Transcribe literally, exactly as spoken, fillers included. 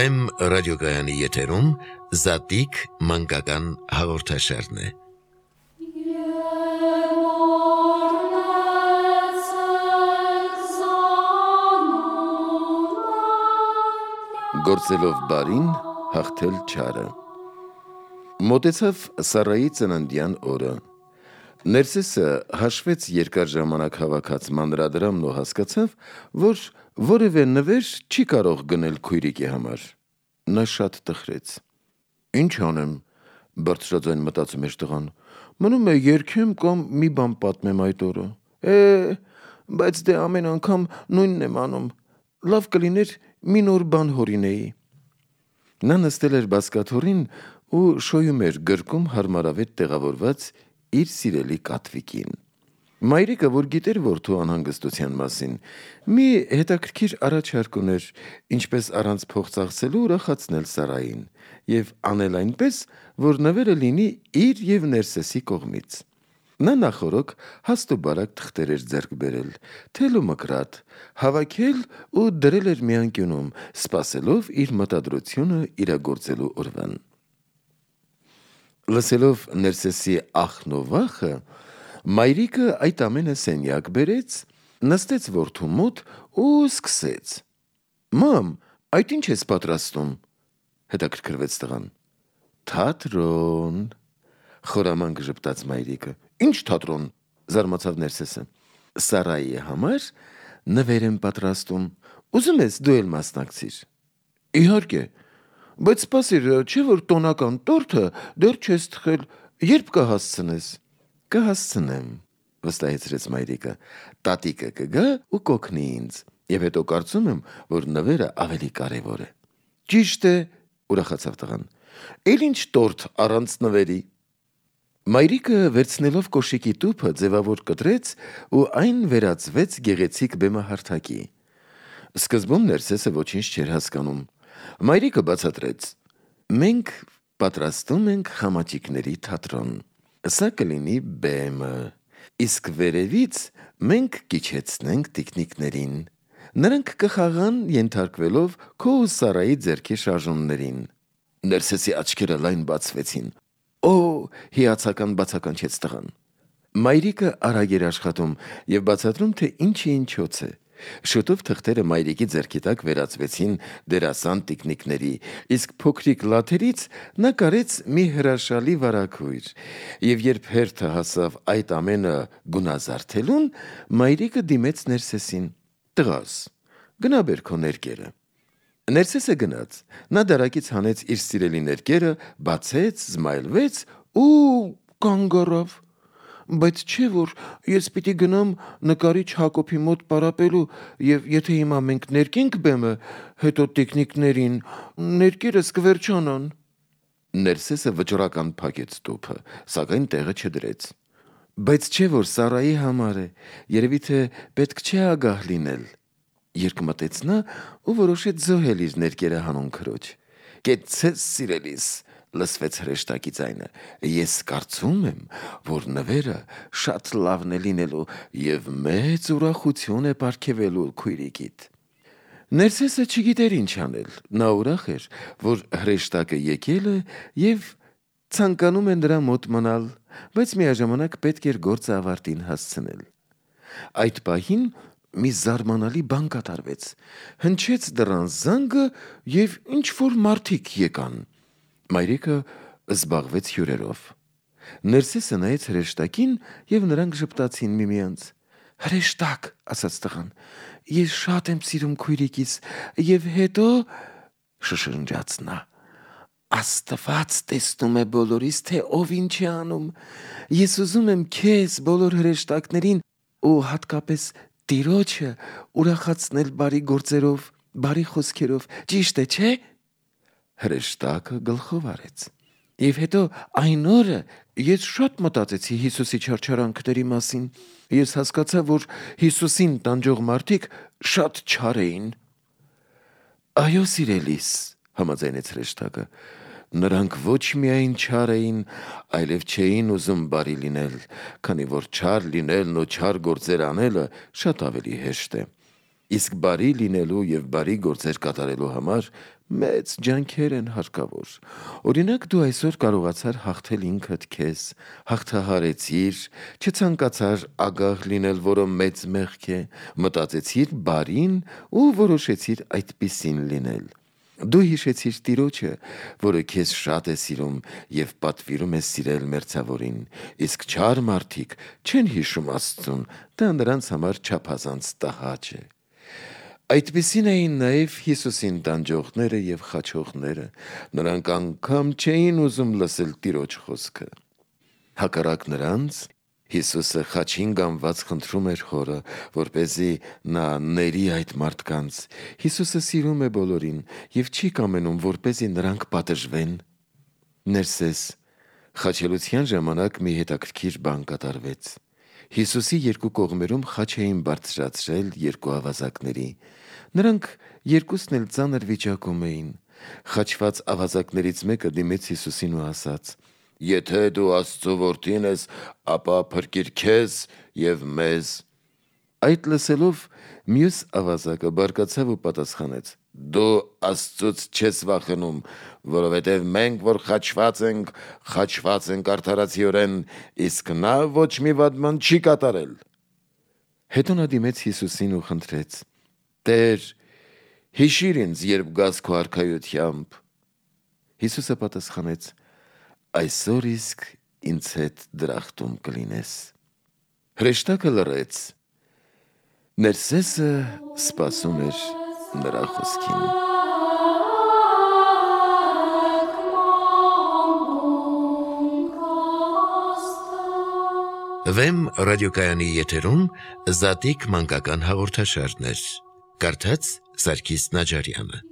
Վեմ ռադիոգայանի եթերում Զատիկ մանկական հաղորդաշարն է։ Գործելով բարին, հաղթել չարը։ Մոտեցավ Սառայի ծննդյան օրը։ Ներսեսը հաշվեց երկար ժամանակ հավաքած մանրադրամն ու հասկացավ, որ որևէ նվեր չի կարող գնել քույրիկի համար։ Նա շատ տխրեց։ Ինչ անեմ, բարձրաձայն մտածում էր տղան, մնում է երգեմ կամ մի բան պատմեմ այդ օրը։ Է, բայց դե ամեն անգամ նույնն եմ անում, լավ կլիներ մի նոր բան հորինեի։ Նա նստել էր բազկաթոռին ու շոյում էր գրկում հարմարավետ տեղավորված իր սիրելի կատվիկին։ Մայրիկը, որ գիտեր որդու անհանգստության մասին, մի հետաքրքիր առաջարկ ուներ, ինչպես առանց փող ծախսելու ուրախացնել Սառային և անել այնպես, որ նվերը լինի իր և Ներսեսի կողմից։ Նա նախօրոք հաստ ու բարակ թղթեր էր ձեռք բերել, թել ու մկրատ, հավաքել ու դրել էր մի անկյունում, սպասելով իր մտադրությունը իրագործելու օրվան։ Լսելով Ներսեսի ախն ու վախը, մայրիկը այդ ամենը սենյակ բերեց, նստեց որդու մոտ ու սկսեց. Մամ, այդ ինչ ես պատրաստում, հետաքրքրվեց տղան։ Թատրոն, խորամանկ ժպտաց մայրիկը։ Ինչ թատրոն, զարմացավ Ներսեսը։ Սառայի համար նվեր եմ պատրաստում, ուզում ես դու էլ մասնակցիր։ Իհարկե, բայց սպասիր, չէ՞ որ տոնական տորթը դեռ չես թխել, երբ կհասցնես։ Կհասցնեմ, վստահեցրեց մայրիկը, տատիկը կգա ու կօգնի ինձ, և հետո կարծում եմ, որ նվերը ավելի կարևոր է։ Ճիշտ է, ուրախացավ տղան, էլ ինչ տորթ առանց նվերի։ Մայրիկը վերցնելով կոշիկի տուփը ձևավոր կտրեց ու այն վերածվեց գեղեցիկ բեմահարթակի։ Սկզբում Ներսեսը ոչինչ չէր հասկանում։ Մայրիկը բացատրեց. Մենք պատրաստում ենք խամաճիկների թատրոն։ Սա կլինի բեմը, իսկ վերևից մենք կիջեցնենք տիկնիկներին։ Նրանք կխաղան ենթարկվելով քո ու Սառայի ձեռքի շարժումներին։ Ներսեսի աչքերը լայն բացվեցին։ Օ, հիացական բացականչեց տղան։ Մայրիկը արագ էր աշխատում և բացատրում, թե ինչը ինչոց է։ Շուտով թղթերը մայրիկի ձեռքի տակ վերածվեցին դերասան տիկնիկների, իսկ փոքրիկ լաթերից նա կարեց մի հրաշալի վարագույր, և երբ հերթը հասավ այդ ամենը գունազարդելուն, մայրիկը դիմեց Ներսեսին. Տղաս, գնա բեր քո ներկերը։ Ներսեսը գնաց, նա դարակից հանեց իր սիրելի ներկերը, բացեց, զմայլվեց ու կանգ առավ։ Բայց չէ՞ որ ես պիտի գնամ նկարիչ Հակոբի մոտ պարապելու, և եթե հիմա մենք ներկենք բեմը, հետո տիկնիկներին, ներկերս կվերջանան։ Ներսեսը վճռական փակեց տուփը, սակայն տեղը չդրեց։ Բայց չէ՞ որ Սառայի համար է, երևի թե պետք չէ ագահ լինել, երկմտեց նա ու որոշեց զոհել իր ներկերը հանուն քրոջ։ Կեցցես սիրելիս, լսվեց հրեշտակի ձայնը, ես կարծում եմ, որ նվերը շատ լավն է լինելու և մեծ ուրախություն է պարգևելու քույրիկիդ։ Ներսեսը չգիտեր ինչ անել, նա ուրախ էր, որ հրեշտակը եկել է և ցանկանում է նրա մոտ մնալ, բայց միաժամանակ պետք էր գործը ավարտին հասցնել։ Այդ պահին մի զարմանալի բան կատարվեց։ Հնչեց դռան զանգը և ինչ-որ մարդիկ եկան։ Մայրիկը զբաղվեց հյուրերով։ Ներսեսը նայեց հրեշտակին, և նրանք ժպտացին միմյանց։ Հրեշտակ, ասաց տղան, ես շատ եմ սիրում քույրիկիս, և հետո, շշնջաց նա, Աստված տեսնում է բոլորիս, թե ով ինչ է անում։ Ես ուզում եմ քեզ, բոլոր հրեշտակներին ու հատկապես Տիրոջը ուրախացնել բարի գործերով, բարի խոսքերով, ճիշտ է, չէ՞։ Հրեշտակը գլխով արեց։ Եվ հետո այն օրը ես շատ մտածեցի Հիսուսի չարչարանքների մասին։ Ես հասկացա, որ Հիսուսին տանջող մարդիկ շատ չար էին։ Այո, սիրելիս, համաձայնեց հրեշտակը, նրանք ոչ միայն չար էին, այլև չէին ուզում բարի լինել, քանի որ չար լինելն ու չար գործեր անելը շատ ավելի հեշտ է։ Իսկ բարի լինելու և բարի գործեր կատարելու համար մեծ ջանքեր են հարկավոր։ Օրինակ դու այսօր կարողացար հաղթել ինքդ քեզ, հաղթահարեցիր, չցանկացար ագահ լինել, որը մեծ մեղք է, մտածեցիր բարին ու որոշեցիր այդպիսին լինել։ Դու հիշեցիր Տիրոջը, որը քեզ շատ է սիրում և պատվիրում է սիրել մերձավորին, իսկ չար մարդիկ չեն հիշում Աստծուն, դա նրանց համար չափազանց տհաճ է։ Այդպիսին էին նաև Հիսուսին տանջողները և խաչողները, նրանք անգամ չէին ուզում լսել Տիրոջ խոսքը։ Հակառակ նրանց, Հիսուսը խաչին գանված խնդրում էր Հորը, որպեսզի նա ների այդ մարդկանց։ Հիսուսը սիրում է բոլորին և չի կամենում, որպեսզի նրանք պատժվեն։ Ներսես, խաչելության ժամանակ մի հետաքրքիր բան կատարվեց։ Հիսուսի երկու կողմերում խաչ էին բարձրացրել երկու ավազակների։ Նրանք երկուսն էլ ծանր վիճակում էին։ Խաչված ավազակներից մեկը դիմեց Հիսուսին ու ասաց. «Եթե դու Աստծո որդին ես, ապա փրկիր քեզ և մեզ»։ Այդ լսելով մյուս ավազակը բարկացավ ու պատասխանեց. «Դու Աստծուց չես վախենում, որովհետև մենք, որ խաչված ենք, խաչված ենք արդարացիորեն, իսկ նա ոչ մի վատ բան չի կատարել»։ Հետո նա դիմեց Հիսուսին ու խնդրեց. «Տեր, հիշիր ինձ, երբ գաս քո արքայությամբ»։ Հիսուսը պատասխանեց. «Այսօր իսկ ինձ հետ դրախտում կլինես»։ Հրեշտակը լռեց։ Ներսեսը սպասում էր նրա խոսքին։ Վեմ ռադիոկայանի եթերում Զատիկ մանկական հաղորդաշարներ։ Կարդաց Սարգիս Նաջարյանը։